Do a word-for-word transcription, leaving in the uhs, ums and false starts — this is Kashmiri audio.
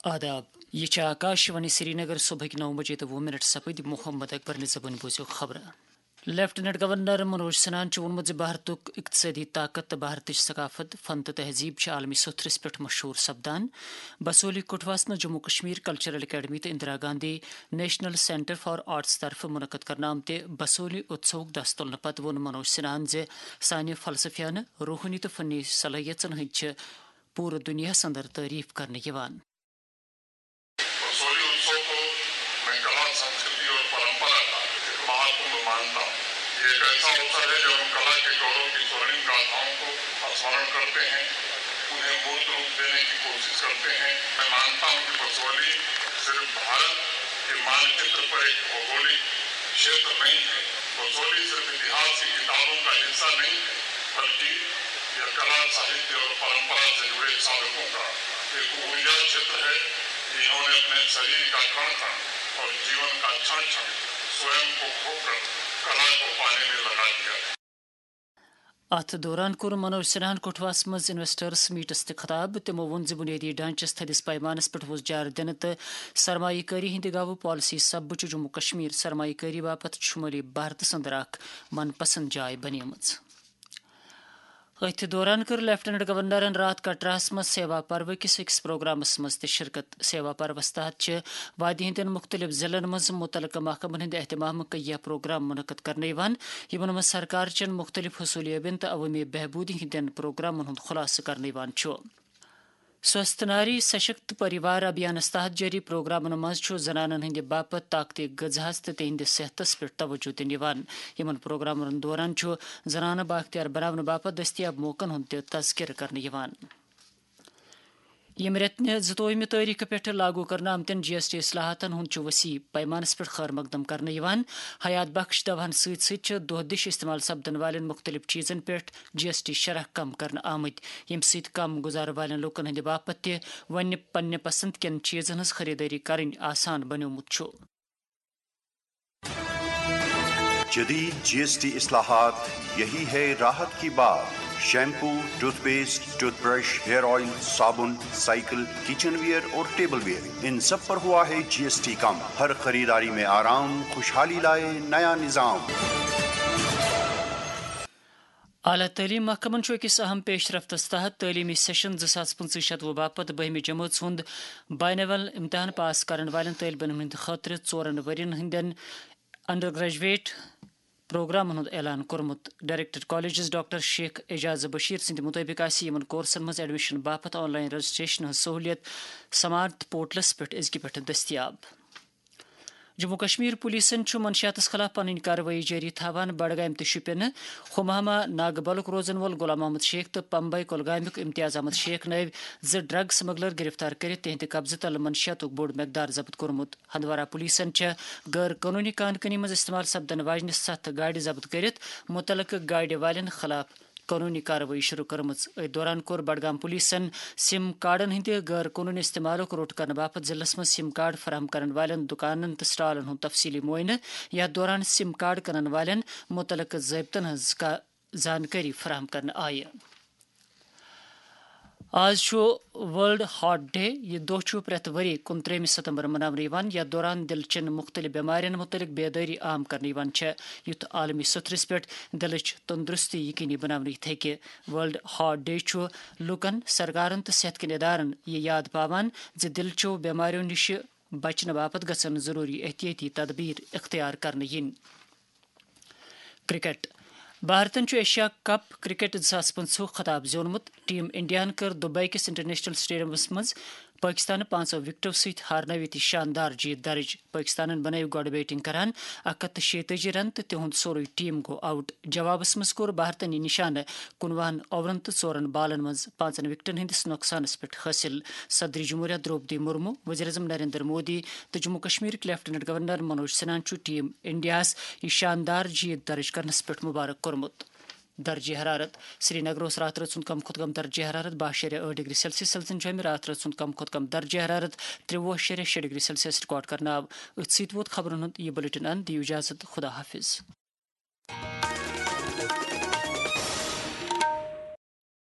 آداب، یہِ چھِ آکاش وانی سرینگر۔ صبحٕکۍ نو بجے تہٕ وُہ منٹ سپٕدۍ۔ محمد اکبر نہِ زبٲنۍ بوٗزِو خبرٕ۔ لیفٹیننٹ گورنر منوج سنہاہن چھُ ووٚنمُت زِ بھارتُک اقتصٲدی طاقت تہٕ بھارتٕچ ثقافت، فن تہٕ تہذیب چھِ عالمی سوٚتھرِس پٮ۪ٹھ مشہوٗر سپدان۔ بسولی کٹھواہس منٛز جموں کشمیر کلچرل اکیڈمی تہٕ Indira Gandhi national centre for arts طرفہٕ منعقد کرنہٕ آمتہِ بسولی اتسوہُک دس تُلنہٕ پتہٕ ووٚن منوج سنہاہن زِ سانہِ فلسفیانہٕ، روحٲنی تہٕ فنی صلٲحیژن ہٕنٛدۍ چھِ پوٗرٕ دُنیاہس اندر تعریف کرنہٕ یِوان۔ बसोली उत्सव को मैं कला, संस्कृति और परंपरा का एक महाकुंभ मानता हूँ। ये एक ऐसा अवसर है जब हम कला के गौरव की स्वर्णिम गाथाओं को स्मरण करते हैं, उन्हें मूर्त रूप देने की कोशिश करते हैं। मैं मानता हूँ कि बसोली सिर्फ भारत के मानचित्र पर एक भौगोलिक क्षेत्र नहीं है, बसोली सिर्फ इतिहास की किताबों का हिस्सा नहीं है, बल्कि यह कला, साहित्य और परंपरा से जुड़े साधकों का एक ऊर्जा क्षेत्र है, जिन्होंने अपने शरीर का कण कण और जीवन का क्षण क्षण स्वयं को खोकर कला को पाने में लगा दिया है। اتھ دوران کوٚر منوج سنہاہن کٹھواہس منٛز انویسٹرس میٹس تہِ خطاب۔ تِمو ووٚن زِ بنیٲدی ڈھانچس تھٔدِس پیمانس پٮ۪ٹھ وُژھ جار دِنہٕ تہٕ سرمایہ کٲری ہٕنٛدِ گاوٕ پالیسی سببہٕ چھُ جموں کشمیر سرمایہ کٲری باپتھ شمٲلی بھارتس اندر اکھ من پسند جاے بنیمٕژ۔ أتھۍ دوران کٔر لیفٹیننٹ گورنرن راتھ کٹراہس منٛز سیوا پرو کِس أکِس پروگرامس منٛز تہِ شرکت۔ سیوا پروس تحت چھِ وادی ہٕنٛدٮ۪ن مُختٔلِف ضلعن منٛز مُتعلقہٕ محکمن ہٕنٛدِ اہتمامہٕ کینٛہہ پروگرام منعقد کرنہٕ یِوان، یِمن منٛز سرکار چٮ۪ن مُختٔلِف حصوٗل یٲبین تہٕ عوٲمی بہبوٗدی ہٕنٛدٮ۪ن پروگرامن ہُنٛد خُلاصہٕ کرنہٕ یِوان چھُ۔ سوستھ ناری سشکت پریوار ابھیانس تحت جٲری پروگرامن منٛز چھُ زنانن ہٕنٛدِ باپتھ طاقتی غذاہس تہٕ تِہنٛدِ صحتس پٮ۪ٹھ توجہ دِنہٕ یِوان۔ یِمن پروگرامن دوران چھُ زنانہٕ بااختیار بناونہٕ باپتھ دٔستیاب موقعن ہُنٛد تہِ تذکرٕ کرنہٕ یِوان۔ ییٚمہِ رٮ۪تہٕ نہِ زٕتووُہمہِ تٲریخہٕ پٮ۪ٹھٕ لاگو کرنہٕ آمتٮ۪ن جی ایس ٹی اصلاحاتن ہُنٛد چھُ وسیع پیمانس پٮ۪ٹھ خٲر مقدم کرنہٕ یِوان۔ حیات بخش دواہن سۭتۍ سۭتۍ چھِ دۄہ دِش استعمال سپدن والٮ۪ن مُختٔلِف چیٖزن پٮ۪ٹھ جی ایس ٹی شرح کم کرنہٕ آمٕتۍ، ییٚمہِ سۭتۍ کم گُزارٕ والٮ۪ن لوٗکن ہٕنٛدِ باپتھ تہِ وۄنۍ پننہِ پسند کٮ۪ن چیٖزن ہٕنٛز خریدٲری کرٕنۍ آسان بنیومُت چھُ۔ جدید جی ایس ٹی اصلاحات، یہی ہے راحت کی بات۔ Shampoo, toothpaste, toothbrush, hair oil, صابن، سائیکل، کچن ویئر اور ٹیبل ویئر، ان سب پر ہوا ہے جی ایس ٹی کم۔ ہر خریداری میں آرام، خوشحالی لائے نیا نظام۔ اعلیٰ تعلیٖم محکمَن چھُ أکِس اَہَم پیش رفتَس تحت تعلیٖمی سیشن زٕ ساس پٕنٛژٕہ شتوُہ باپتھ بٔہمہِ جمٲژ ہُنٛد بینوئل امتحان پاس کرن والٮ۪ن طٲلبہِ علمَن ہٕنٛدِ خٲطرٕ ژورَن ؤرۍ یَن ہٕنٛدٮ۪ن انڈر گریجویٹ پروگرامَن ہُنٛد اعلان کوٚرمُت۔ Director colleges doctor Sheikh Ajaz Bashir سٕنٛدِ مُطٲبِق آسہِ یِمَن کورسَن منٛز ایڈمیشن باپتھ آن لائن رجسٹریشن ہٕنٛز سہوٗلیت سمارٹ پورٹلَس پٮ۪ٹھ أزکہِ پٮ۪ٹھٕ دٔستیاب۔ جموں کشمیر پولیسن چھُ منشیاتس خلاف پنٕنۍ کاروٲیی جٲری تھاوان۔ بڈگام تہٕ شُپینہٕ ہمہامہ ناگہٕ بلُک روزن وول غلام محمد شیخ تہٕ پمبئی کۄلگامیُک امتیاز احمد شیخ نٲوۍ زٕ ڈرگ سمگلر گرفتار کٔرِتھ تِہنٛدِ قبضہٕ تل منشیاتُک بوٚڑ مقدار ضبط کوٚرمُت۔ ہندوارہ پولیسن چھےٚ غٲر قونوٗنی کان کٲنی منٛز استعمال سپدن واجنہِ ستھ گاڑِ ضبط کٔرِتھ مُتعلقہٕ گاڑِ والٮ۪ن خلاف قونوٗنی کاروٲیی شروٗع کٔرمٕژ۔ أتھۍ دوران کوٚر بڈگام پولیسن سِم کارڈن ہٕنٛدِ غٲر قونوٗنی استعمالُک روٚٹ کرنہٕ باپتھ ضلعس منٛز سِم کارڈ فراہم کرن والٮ۪ن دُکانن تہٕ سٹالن ہُنٛد تفصیٖلی معٲینہٕ۔ یَتھ دوران سِم کارڈ کٕنن والٮ۪ن مُتعلقہٕ ضٲبطن ہٕنٛز کا-، زانکٲری فراہم کرنہٕ آیہِ۔ آز چھُ ورلڈ ہارٹ ڈے۔ یہِ دۄہ چھُ پرٛٮ۪تھ ؤری کُنترٛہمہِ ستمبر مناونہٕ یِوان، یَتھ دوران دِلہٕ چٮ۪ن مُختٔلِف بٮ۪مارٮ۪ن مُتعلِق بیدٲری عام کرنہٕ یِوان چھےٚ، یُتھ عالمی سطحس پٮ۪ٹھ دِلٕچ تندرستی یقینی بناونہٕ یِتھ ہیٚکہِ۔ ورلڈ ہارٹ ڈے چھُ لوٗکن، سرکارن تہٕ صحت کٮ۪ن ادارن یہِ یاد پاوان زِ دِلہٕ چٮ۪و بٮ۪مارٮ۪و نِش بچنہٕ باپتھ گژھن ضروٗری احتیاطی تدابیر اختیار کرنہٕ یِنۍ۔ کرکٹ۔ بھارتن چھُ ایشیا کپ کرکٹ زٕ ساس پٕنٛژٕہ خطاب زیوٗنمُت۔ ٹیم انڈیاہن کٔر دبئی کِس انٹرنیشنل سٹیڈیمس منٛز پٲکستانہٕ پانٛژو وکٹو سۭتۍ ہارنٲوِتھ یہِ شاندار جیٖت درٕج۔ پٲکستانن بنٲوۍ گۄڈٕ بیٹنگ کران اکھ ہتھ تہٕ شیٚیہِ تٲجی رن تہٕ تِہُنٛد سورُے ٹیم گوٚو آوٹ۔ جوابس منٛز کوٚر بھارتن یہِ نشانہٕ کُنوُہن اوورن تہٕ ژورن بالن منٛز پانٛژن وکٹن ہٕنٛدِس نۄقصانس پٮ۪ٹھ حٲصِل۔ صدر جمہوریہ درٛوپدی مرمو، وزیر اعظم نریندر مودی تہٕ جموں کشمیرٕکۍ لیفٹیننٹ گورنر منوج سنہاہن چھُ ٹیم انڈیاہس یہِ شاندار جیٖت درٕج کرنس پٮ۪ٹھ مبارک کوٚرمُت۔ درجہ حرارت۔ سرینگرٕ اوس راتھ رٲژ ہُنٛد کم کھۄتہٕ کم درجہ حرارت باہ شیٚرے ٲٹھ ڈگری سیلسیس۔ سیلسن چھُ امہِ راتھ رٲژ ہُنٛد کم کھۄتہٕ کم درجہ حرارت ترٛوُہ شیٚرے شیٚے ڈگری سیلسیس ریکارڈ کرنہٕ آو۔ أتھۍ سۭتۍ ووت خبرن ہُنٛد یہِ بلیٹن اند۔ دِیِو اجازت، خدا حافظ۔